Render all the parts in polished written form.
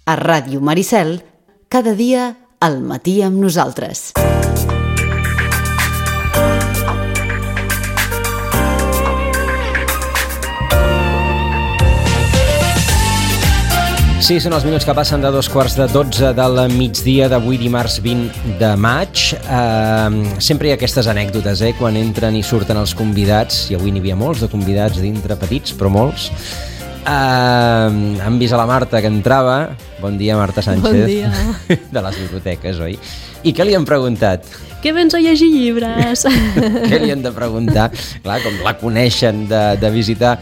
A Ràdio Maricel, cada dia al matí amb nosaltres. Sí, són els minuts que passen de 12:15 del migdia d'avui, dimarts 20 de maig. Sempre hi ha aquestes anècdotes, quan entren i surten els convidats, i avui n'hi havia molts de convidats dintre, petits, però molts. Han vist a la Marta que entrava. Bon dia, Marta Sánchez. Bon dia. De les biblioteques, oi? I què li han preguntat? Què vens a llegir llibres? Què li han de preguntar? Clar, com la coneixen de visitar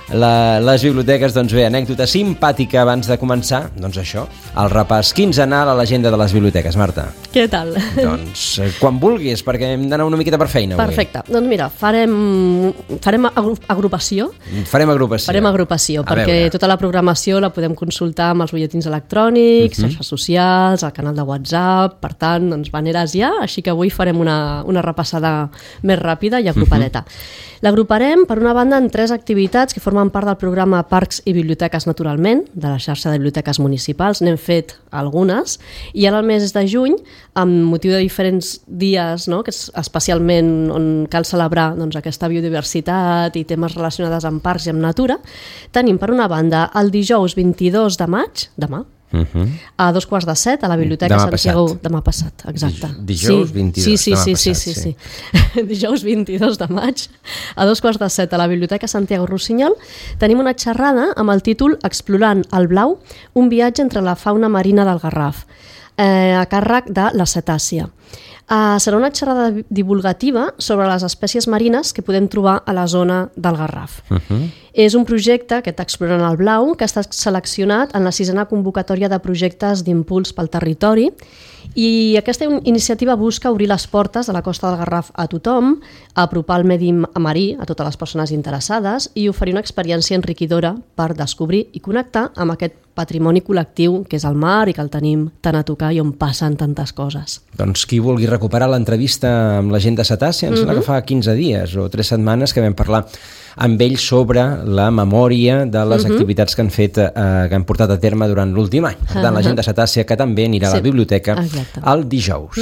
les biblioteques, doncs bé, anècdota simpàtica abans de començar, doncs això, el repàs quinzenal a l'agenda de les biblioteques. Marta. Què tal? Doncs quan vulguis, perquè hem d'anar una miqueta per feina avui. Perfecte. Doncs mira, farem agrupació. Farem agrupació, perquè tota la programació la podem consultar amb els butlletins electrònics, xarxes socials, el canal de WhatsApp, per tant, doncs maneres ja, així que avui farem una repassada més ràpida i agrupadeta. L'agruparem, per una banda, en 3 activitats que formen part del programa Parcs i Biblioteques Naturalment, de la xarxa de biblioteques municipals. N'hem fet algunes, i ara al mes de juny, amb motiu de diferents dies, no?, que és especialment on cal celebrar doncs, aquesta biodiversitat i temes relacionats amb parcs i amb natura, tenim, per una banda, el dijous 22 de maig, demà, a 7:15 a la Biblioteca Santiago. Demà passat, exacte. Dijous 22, sí. Dijous 22 de maig, a 7:15 a la Biblioteca Santiago Rossinyol, tenim una xerrada amb el títol Explorant el blau, un viatge entre la fauna marina del Garraf, a càrrec de la cetàcia. Serà una xerrada divulgativa sobre les espècies marines que podem trobar a la zona del Garraf. És un projecte, aquest Explorant el blau, que ha estat seleccionat en la 6a convocatòria de projectes d'impuls pel territori, i aquesta iniciativa busca obrir les portes de la costa del Garraf a tothom, apropar el medi marí a totes les persones interessades i oferir una experiència enriquidora per descobrir i connectar amb aquest patrimoni col·lectiu que és el mar i que el tenim tan a tocar i on passen tantes coses. Doncs qui vulgui recuperar l'entrevista amb la gent de Cetàcia, ens sembla que fa 15 dies o 3 setmanes que vam parlar amb ells sobre la memòria de les activitats que han fet, que han portat a terme durant l'últim any. Per tant, la gent de Cetàcia que també anirà a la biblioteca el dijous.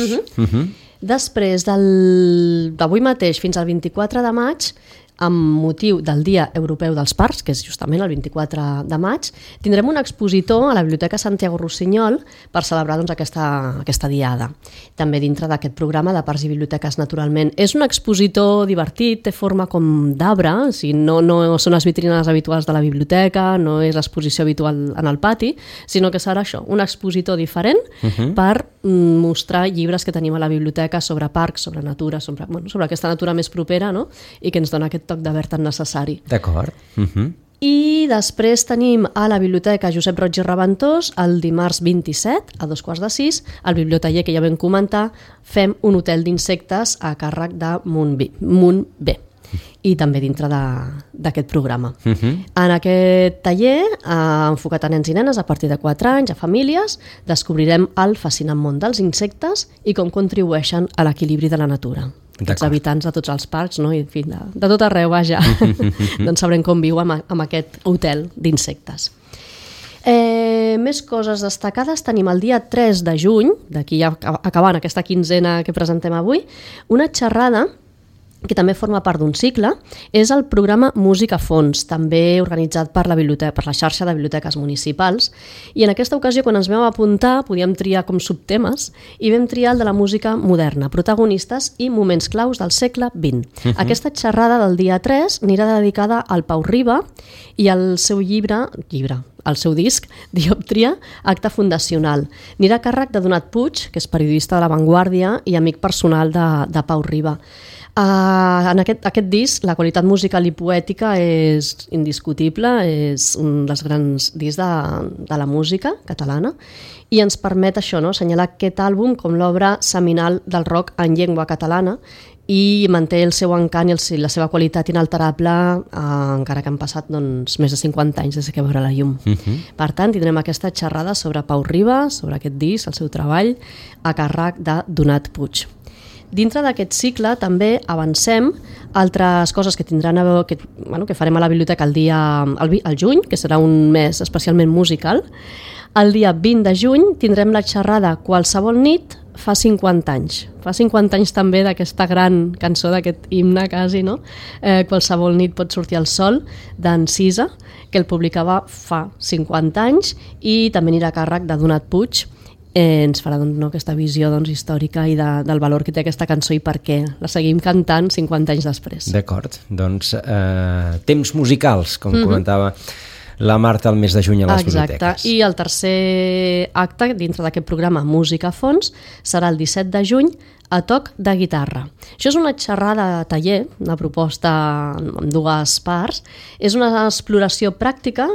Després d'avui mateix fins al 24 de maig, amb motiu del Dia Europeu dels Parcs, que és justament el 24 de maig, tindrem un expositor a la Biblioteca Santiago Rossinyol per celebrar doncs, aquesta diada. També dintre d'aquest programa de Parcs i Biblioteques Naturalment. És un expositor divertit, té forma com d'arbre, o sigui, no són les vitrines habituals de la biblioteca, no és l'exposició habitual en el pati, sinó que serà això, un expositor diferent per mostrar llibres que tenim a la biblioteca sobre parcs, sobre natura, sobre aquesta natura més propera, no?, i que ens dona aquest toc de verd tan necessari. D'acord. I després tenim a la Biblioteca Josep Roig i Reventós el dimarts 27 a 5:45 al biblioteller que ja vam comentar, fem un hotel d'insectes a càrrec de Munt B i també dintre d'aquest programa. En aquest taller, enfocat a nens i nenes a partir de 4 anys, a famílies, descobrirem el fascinant món dels insectes i com contribueixen a l'equilibri de la natura. Els habitants de tots els parcs, no? I, en fi, de tot arreu, vaja, doncs sabrem com viu amb aquest hotel d'insectes. Més coses destacades, tenim el dia 3 de juny, d'aquí ja acabant aquesta quinzena que presentem avui, una xerrada que també forma part d'un cicle, és el programa Música a Fons, també organitzat per la xarxa de biblioteques municipals. I en aquesta ocasió, quan ens vam apuntar, podíem triar com subtemes i vam triar el de la música moderna, protagonistes i moments claus del segle XX. Aquesta xerrada del dia 3 anirà dedicada al Pau Riba i al seu el seu disc, Diòptria, acte fundacional. Anirà a càrrec de Donat Puig, que és periodista de La Vanguardia i amic personal de Pau Riba. En aquest disc, la qualitat musical i poètica és indiscutible, és un dels grans discs de la música catalana i ens permet això, no?, assenyalar aquest àlbum com l'obra seminal del rock en llengua catalana i manté el seu encant i la seva qualitat inalterable, encara que han passat més de 50 anys des que veurà la llum. Per tant, tindrem aquesta xerrada sobre Pau Riba, sobre aquest disc, el seu treball, a càrrec de Donat Puig. Dintre d'aquest cicle també avancem altres coses que tindran que farem a la biblioteca el juny, que serà un mes especialment musical. El dia 20 de juny tindrem la xerrada Qualsevol nit fa 50 anys. Fa 50 anys també d'aquesta gran cançó, d'aquest himne quasi, no? Qualsevol nit pot sortir el sol, d'en Cisa, que el publicava fa 50 anys, i també anirà a càrrec de Donat Puig. Ens farà aquesta visió històrica i del valor que té aquesta cançó i per què la seguim cantant 50 anys després. D'acord, doncs temps musicals, com comentava la Marta el mes de juny a les biblioteques. Exacte, i el tercer acte dintre d'aquest programa Música a fons serà el 17 de juny a toc de guitarra. Això és una xerrada taller, una proposta amb dues parts. És una exploració pràctica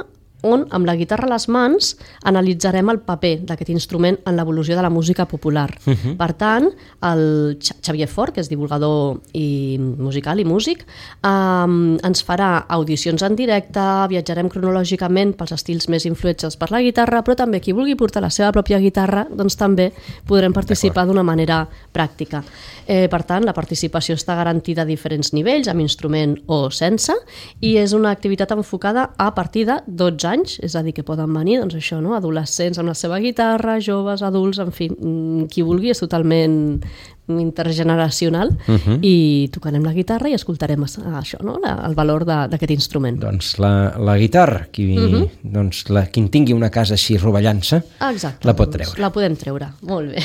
on, amb la guitarra a les mans, analitzarem el paper d'aquest instrument en l'evolució de la música popular. Per tant, el Xavier Fort, que és divulgador i musical i músic, ens farà audicions en directe, viatjarem cronològicament pels estils més influenciats per la guitarra, però també qui vulgui portar la seva pròpia guitarra, doncs també podrem participar d'una manera pràctica. Per tant, la participació està garantida a diferents nivells, amb instrument o sense, i és una activitat enfocada a partir de 12 anys, és a dir, que poden venir adolescents amb la seva guitarra, joves, adults, en fi, qui vulgui, és totalment intergeneracional, i tocarem la guitarra i escoltarem això, el valor d'aquest instrument. Doncs la guitarra, qui en tingui una casa així rovellant-se, la pot treure. La podem treure, molt bé.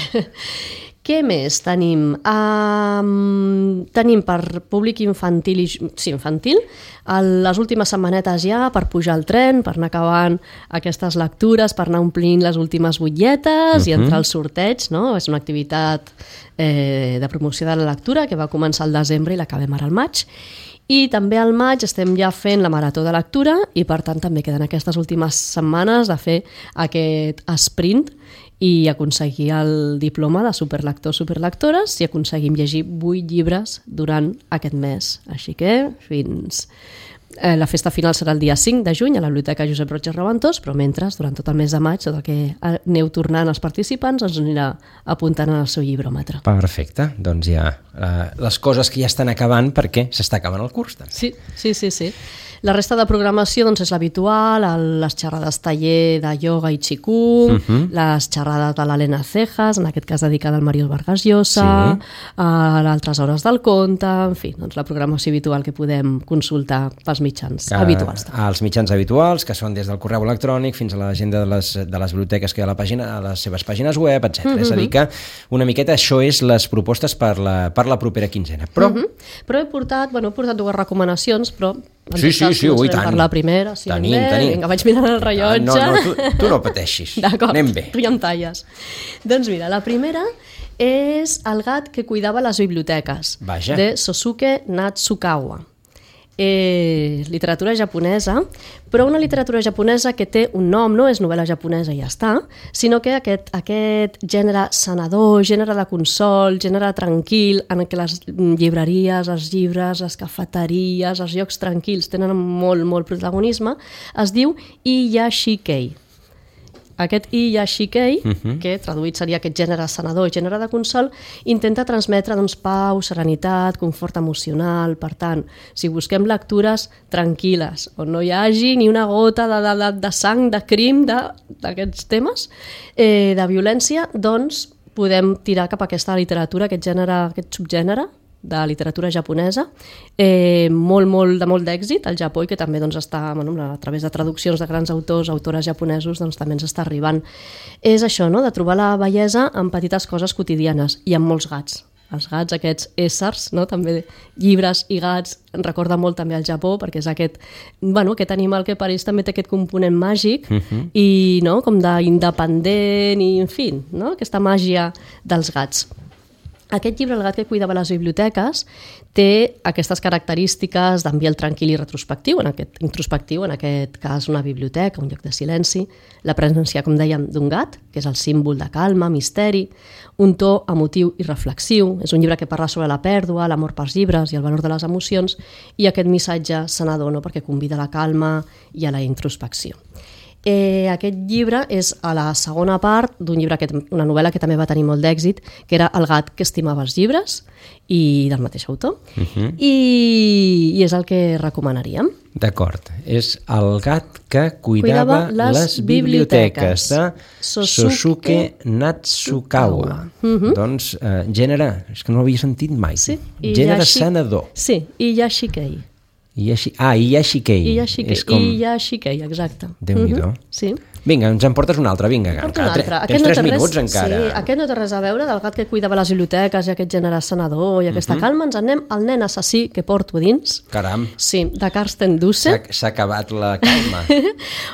Què més tenim? Tenim per públic infantil les últimes setmanetes ja per pujar al tren, per anar acabant aquestes lectures, per anar omplint les últimes butlletes i entrar al sorteig, no? És una activitat de promoció de la lectura que va començar al desembre i l'acabem ara al maig. I també al maig estem ja fent la marató de lectura i per tant també queden aquestes últimes setmanes de fer aquest sprint i aconseguir el diploma de superlectors, superlectores, i aconseguim llegir 8 llibres durant aquest mes. Així que fins... La festa final serà el dia 5 de juny a la Biblioteca Josep Roig i Reventós, però mentre, durant tot el mes de maig, tot el que aneu tornant els participants ens anirà apuntant en el seu llibròmetre. Perfecte, doncs ja les coses que ja estan acabant perquè s'està acabant el curs. Sí. La resta de programació és l'habitual, les xerrades taller de ioga i qigong, les xerrades de l'Helena Cejas, en aquest cas dedicada al Màrius Vargas Llosa, altres hores del conte, en fi, la programació habitual que podem consultar pels mitjans habituals. Els mitjans habituals, que són des del correu electrònic fins a l'agenda de les biblioteques que hi ha a les seves pàgines web, etc. És a dir que una miqueta això és les propostes per la propera quinzena. Però he portat dues recomanacions, però sí, ui, tant. Per la primera, tenim. Vinga, vaig mirant el rellotge. No, tu no pateixis. D'acord, anem bé. Tu ja em talles. Doncs mira, la primera és El gat que cuidava les biblioteques, de Sosuke Natsukawa. Literatura japonesa, però una literatura japonesa que té un nom, no és novel·la japonesa i ja està, sinó que aquest gènere sanador, gènere de consol, gènere tranquil, en què les llibreries, els llibres, les cafeteries, els llocs tranquils tenen molt protagonisme, es diu Iyashikei. Aquest Iyashikei, que traduït seria aquest gènere sanador, gènere de consol, intenta transmetre pau, serenitat, confort emocional. Per tant, si busquem lectures tranquil·les, on no hi hagi ni una gota de sang, de crim, d'aquests temes, de violència, doncs podem tirar cap a aquesta literatura, aquest subgènere de literatura japonesa, de molt d'èxit al Japó, i que també està, a través de traduccions de grans autores japonesos, també ens està arribant. És això, de trobar la bellesa en petites coses quotidianes i amb molts gats. Els gats, aquests éssers, també llibres i gats, em recorda molt també al Japó, perquè és aquest animal que per ells també té aquest component màgic i com d'independent i, en fi, aquesta màgia dels gats. Aquest llibre, El gat que cuidava les biblioteques, té aquestes característiques d'ambient tranquil i introspectiu, en aquest cas una biblioteca, un lloc de silenci, la presència, com dèiem, d'un gat, que és el símbol de calma, misteri, un to emotiu i reflexiu, és un llibre que parla sobre la pèrdua, l'amor pels llibres i el valor de les emocions, i aquest missatge sanador, perquè convida a la calma i a la introspecció. Aquest llibre és a la segona part d'un llibre, una novel·la que també va tenir molt d'èxit, que era El gat que estimava els llibres, i del mateix autor, i és el que recomanaríem. D'acord, és El gat que cuidava les biblioteques, de Sosuke Natsukawa. Doncs gènere, és que no l'havia sentit mai, gènere sanador. Sí, i Yashikei. Iyashikei. Iyashikei, exacte. Déu-n'hi-do. Sí. Vinga, ens en portes un altre, vinga. Tens 3 minuts encara. Sí, aquest no té res a veure del gat que cuidava les biblioteques i aquest gènere sanador i aquesta calma. Ens anem al nen assassí que porto dins. Caram. Sí, de Carsten Dusse. S'ha acabat la calma.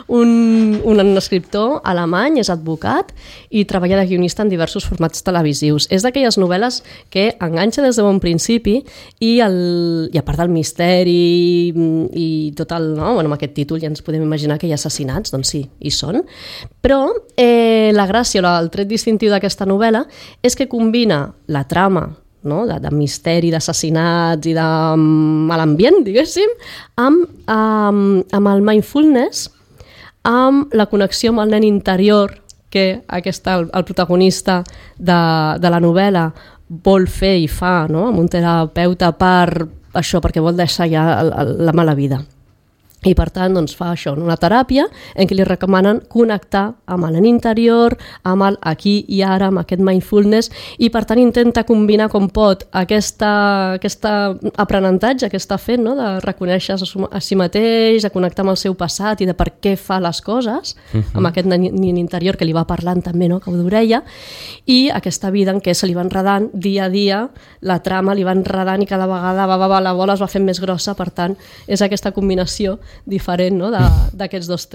un escriptor alemany, és advocat i treballa de guionista en diversos formats televisius. És d'aquelles novel·les que enganxa des de bon principi i a part del misteri i tot el... No? Bueno, amb aquest títol ja ens podem imaginar que hi ha assassinats, doncs sí, hi són. Però la gràcia o el tret distintiu d'aquesta novel·la és que combina la trama, no? de misteri, d'assassinats i de mal ambient, diguéssim, amb el mindfulness, amb la connexió amb el nen interior que el protagonista de la novel·la vol fer i fa, no? Amb un terapeuta perquè vol deixar ja la mala vida. I per tant doncs, fa això, una teràpia en què li recomanen connectar amb el nen interior, amb el aquí i ara, amb aquest mindfulness, i per tant intenta combinar com pot aquest aprenentatge que està fent, no? De reconèixer a si mateix, de connectar amb el seu passat i de per què fa les coses, amb aquest nen interior que li va parlant també, no? Que ho d'orella, i aquesta vida en què se li va enredant dia a dia, la trama li va enredant i cada vegada la bola es va fent més grossa, per tant és aquesta combinació diferent, no? d'aquests dos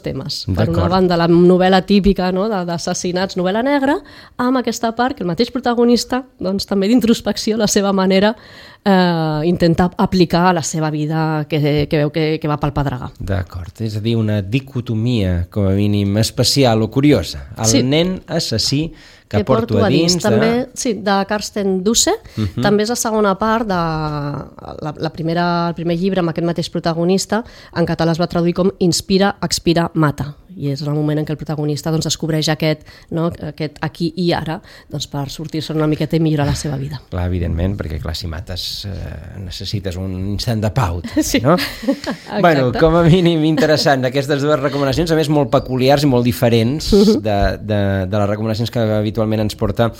temes. Per una banda, la novel·la típica, no? d'assassinats, novel·la negra, amb aquesta part que el mateix protagonista, doncs, també d'introspecció, la seva manera, intenta aplicar a la seva vida que veu que va pel pedregar. D'acord, és a dir, una dicotomia, com a mínim, especial o curiosa. El nen assassí que porto a dins també, sí, de Carsten Dusse. També és la segona part el primer llibre amb aquest mateix protagonista. En català es va traduir com Inspira, expira, mata, i és el moment en què el protagonista doncs, descobreix aquest aquí i ara, doncs, per sortir-se una miqueta i millorar la seva vida. Clar, evidentment, perquè clar, si mates necessites un instant de pau, sí. No? Bueno, com a mínim interessant aquestes dues recomanacions, a més molt peculiars i molt diferents de les recomanacions que habitualment ens porta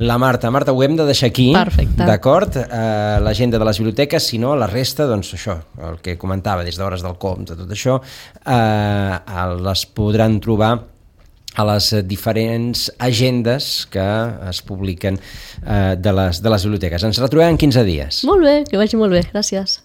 la Marta. Marta, ho hem de deixar aquí. Perfecte. D'acord? L'agenda de les biblioteques, si no, la resta, doncs això, el que comentava des d'Hores del Compte, tot això, les podran trobar a les diferents agendes que es publiquen de les biblioteques. Ens retrobem en 15 dies. Molt bé, que vagi molt bé. Gràcies.